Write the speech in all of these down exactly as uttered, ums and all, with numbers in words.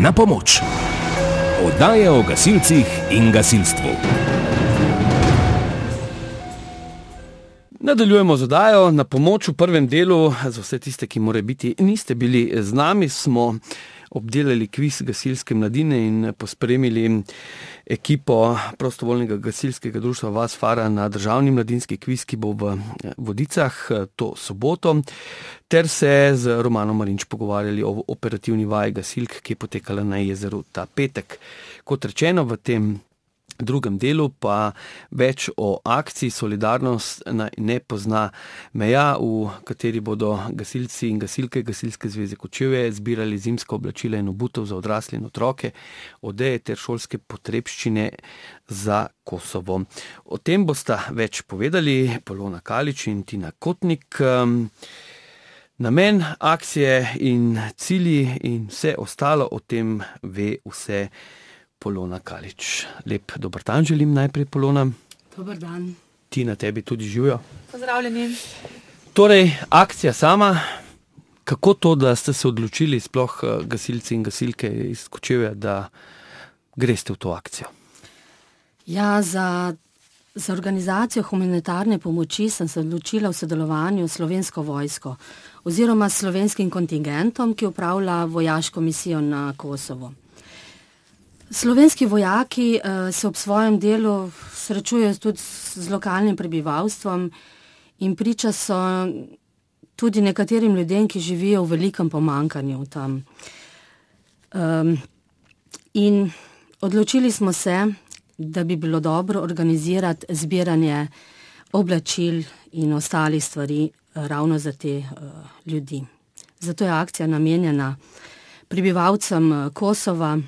Na pomoč. Oddaja o gasilcih in gasilstvu. Nadaljujemo z oddajo Na pomoč v prvem delu. Za vse tiste, ki more biti niste bili z nami, smo obdelali kviz gasilske mladine in pospremili ekipo prostovoljnega gasilskega društva Vas Fara na državni mladinski kviz, ki bo v Vodicah to soboto, ter se z Romanom Marinč pogovarjali o operativni vaji gasilk, ki je potekala na jezeru ta petek. Kot rečeno, v tem drugem delu pa več o akciji Solidarnost ne pozna meja, v kateri bodo gasilci in gasilke Gasilske zveze Kočevje zbirali zimska oblačila in obutev za odrasle in otroke, odeje ter šolske potrebščine za Kosovo. O tem bosta več povedali Polona Kalič in Tina Kotnik. Namen akcije in cilji in vse ostalo o tem ve vse Polona Kalič. Lep dober dan želim najprej, Polona. Dober dan. Tina, tebi tudi živijo. Pozdravljeni. Torej, akcija sama, kako to, da ste se odločili, sploh gasilci in gasilke iz Kočevja, da greste v to akcijo? Ja, za, za organizacijo humanitarne pomoči sem se odločila v sodelovanju s Slovensko vojsko oziroma s slovenskim kontingentom, ki upravlja vojaško misijo na Kosovo. Slovenski vojaki uh, se ob svojem delu srečujejo tudi z lokalnim prebivalstvom in priča so tudi nekaterim ljudem, ki živijo v velikem pomanjkanju tam. Um, in odločili smo se, da bi bilo dobro organizirati zbiranje oblačil in ostalih stvari uh, ravno za te uh, ljudi. Zato je akcija namenjena prebivalcem uh, Kosova,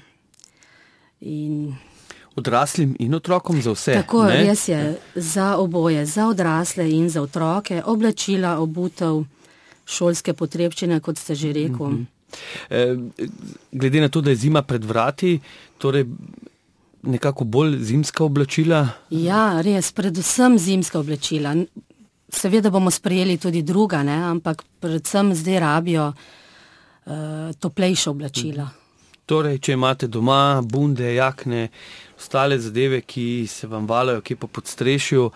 in odraslim in otrokom, za vse. Tako, ne? Res je, za oboje, za odrasle in za otroke, oblačila, obutev, šolske potrebščine, kot ste že rekel. Mm-hmm. E, glede na to, da je zima pred vrati, torej nekako bolj zimska oblačila? Ja, res, predvsem zimska oblačila. Seveda bomo sprejeli tudi druga, ne? Ampak predvsem zdaj rabijo uh, toplejša oblačila. Mm-hmm. Torej, če imate doma bunde, jakne, ostale zadeve, ki se vam valajo kje po podstrešju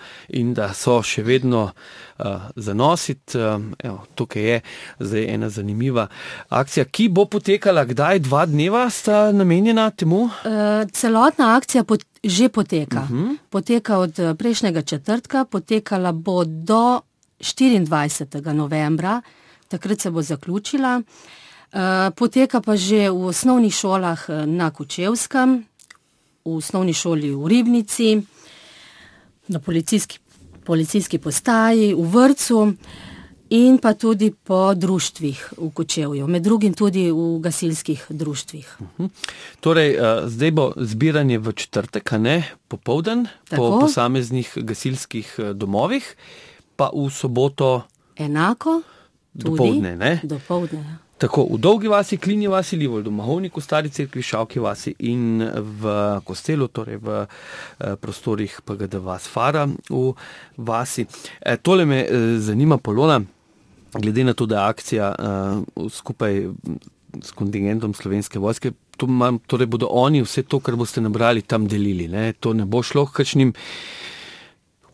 in da so še vedno uh, za nositi, um, evo, tukaj je zdaj ena zanimiva akcija, ki bo potekala kdaj, dva dneva sta namenjena temu? Uh, celotna akcija pot, že poteka. Uh-huh. Poteka od prejšnjega četrtka, potekala bo do štiriindvajsetega novembra, takrat se bo zaključila. Uh, poteka pa že v osnovnih šolah na Kočevskem, v osnovni šoli v Ribnici, na policijski, policijski postaji, v vrtcu in pa tudi po društvih v Kočevju, med drugim tudi v gasilskih društvih. Uh-huh. Torej, uh, zdaj bo zbiranje v četrtek, a ne, popoldan, po posameznih gasilskih domovih, pa v soboto enako, tudi dopoldne, ne? Dopoldne, ja. Tako, v Dolgi vasi, Klinji vasi, Livoldu, Mahovniku, Stari cerkvi, Šavki vasi in v Kostelu, torej v eh, prostorih P G D Vas Fara v vasi. E, tole me eh, zanima, Polona, glede na to, da je akcija eh, skupaj s kontingentom Slovenske vojske, to mam, torej bodo oni vse to, kar boste nabrali, tam delili, ne? To ne bo šlo kakšnim,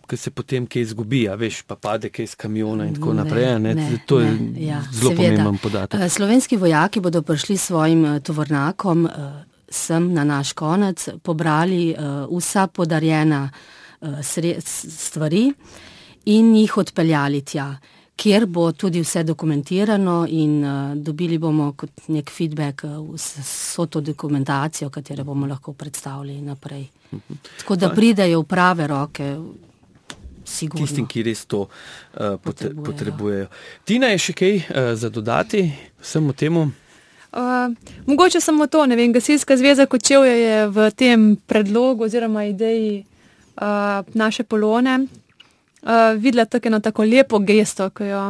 ki se potem kaj izgubi, a veš, pa pade kaj iz kamiona in tako naprej. Ne, ne, to je ne, ja, zelo seveda pomemben podatek. Slovenski vojaki bodo prišli s svojim tovornakom sem na naš konec, pobrali vsa podarjena stvari in jih odpeljali tja, kjer bo tudi vse dokumentirano in dobili bomo kot nek feedback vso to dokumentacijo, katero bomo lahko predstavili naprej. Tako da pridejo v prave roke, sigurno. Tistim, ki res to uh, potrebujejo. potrebujejo. Tina, je še kaj uh, za dodati vsemu temu? Uh, mogoče samo to, ne vem, Gasilska zveza Kočevje je v tem predlogu oziroma ideji uh, naše Polone uh, videla tako eno tako lepo gesto, ki jo,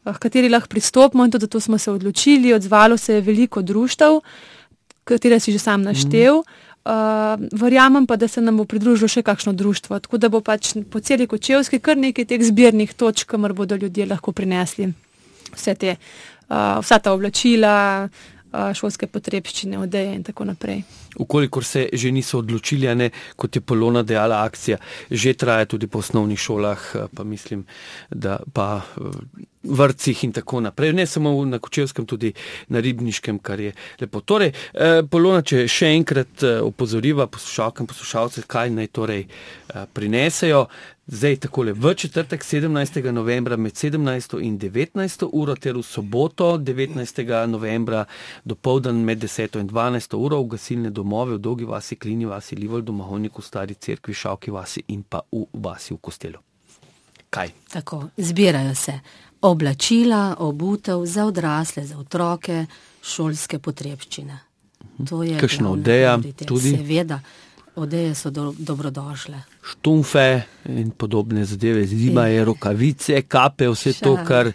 uh, kateri lahko pristopimo in tudi to smo se odločili. Odzvalo se je veliko društev, katere si že sam naštel. Mm. Uh, verjamem pa, da se nam bo pridružilo še kakšno društvo, tako da bo pač po celi Kočevski kar nekaj teh zbirnih točk, kamor bodo ljudje lahko prinesli vse te, uh, vsa ta oblačila, uh, šolske potrebščine, odeje in tako naprej. Ukolikor se že niso odločili, a ne, kot je Polona dejala, akcija že traja tudi po osnovnih šolah, pa mislim, da pa vrtcih in tako naprej. Ne samo na Kočevskem, tudi na Ribniškem, kar je lepo. Torej, Polona, če še enkrat opozoriva poslušalke in poslušalce, kaj naj torej prinesejo. Zdaj takole, v četrtek sedemnajstega novembra med sedemnajsto in devetnajsto uro ter v soboto devetnajstega novembra dopoldan med deseto in dvanajsto uro v gasilne domove v Dolgi vasi, Klini vasi, Livoldu, Mahovniku, Stari cerkvi, Šavki vasi in pa v vasi v Kostelu. Kaj? Tako, zbirajo se oblačila, obutev za odrasle, za otroke, šolske potrebščine. To je kakšna odeja tudi? Seveda. Odeje so do, dobrodošle. Štumfe in podobne zadeve, zima je, rokavice, kape, vse to, kar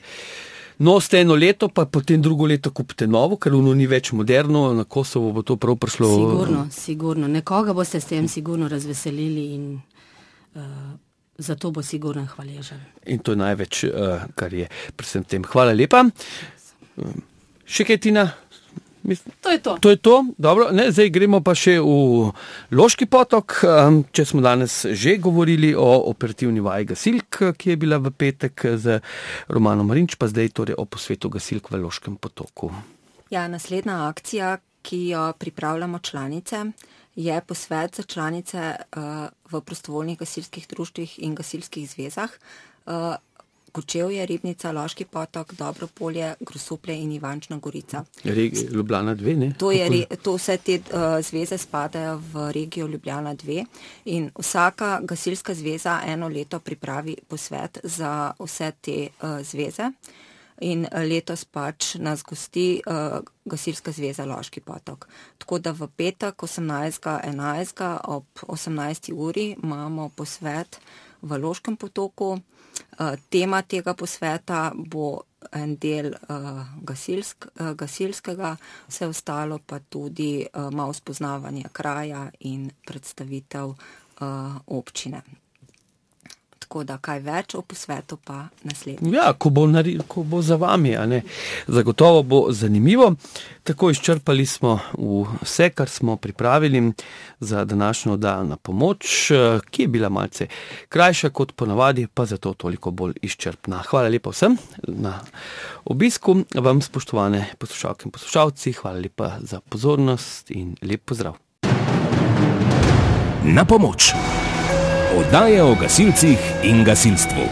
nosite eno leto, pa potem drugo leto kupite novo, ker ono ni več moderno, na Kosovo bo to prav prišlo. Sigurno, sigurno. Nekoga boste s tem sigurno razveselili in uh, zato bo sigurno hvaležen. In to je največ, uh, kar je pri vsem tem. Hvala lepa. Še kaj, Tina? Mislim, to je to. To je to, dobro. Ne, zdaj gremo pa še v Loški potok, če smo danes že govorili o operativni vaji gasilk, ki je bila v petek z Romanom Marinč, pa zdaj torej o posvetu gasilk v Loškem potoku. Ja, naslednja akcija, ki jo pripravljamo članice, je posvet za članice uh, v prostovoljnih gasilskih društvih in gasilskih zvezah. Uh, Kočevje, Ribnica, Loški potok, Dobropolje, Grosuplje in Ivančna Gorica. Regi, Ljubljana dve, ne? To, je, to vse te uh, zveze spadajo v regijo Ljubljana dve in vsaka gasilska zveza eno leto pripravi posvet za vse te uh, zveze in letos pač nas gosti uh, gasilska zveza Loški potok. Tako da v petek osemnajstega enajstega ob osemnajsti uri imamo posvet v Loškem potoku. Uh, tema tega posveta bo en del uh, gasilsk, uh, gasilskega, vse ostalo pa tudi uh, malo spoznavanje kraja in predstavitev uh, občine. Tako da kaj več o posvetu pa naslednji. Ja, ko bo, nari, ko bo za vami, a ne. Zagotovo bo zanimivo. Tako izčrpali smo vse, kar smo pripravili za današnjo oddajo Na pomoč, ki je bila malce krajša kot ponavadi, pa zato toliko bolj izčrpna. Hvala lepa vsem na obisku. Vam, spoštovane poslušalke in poslušalci, hvala lepa za pozornost in lep pozdrav. Na pomoč. Oddaja o gasilcih in gasilstvu.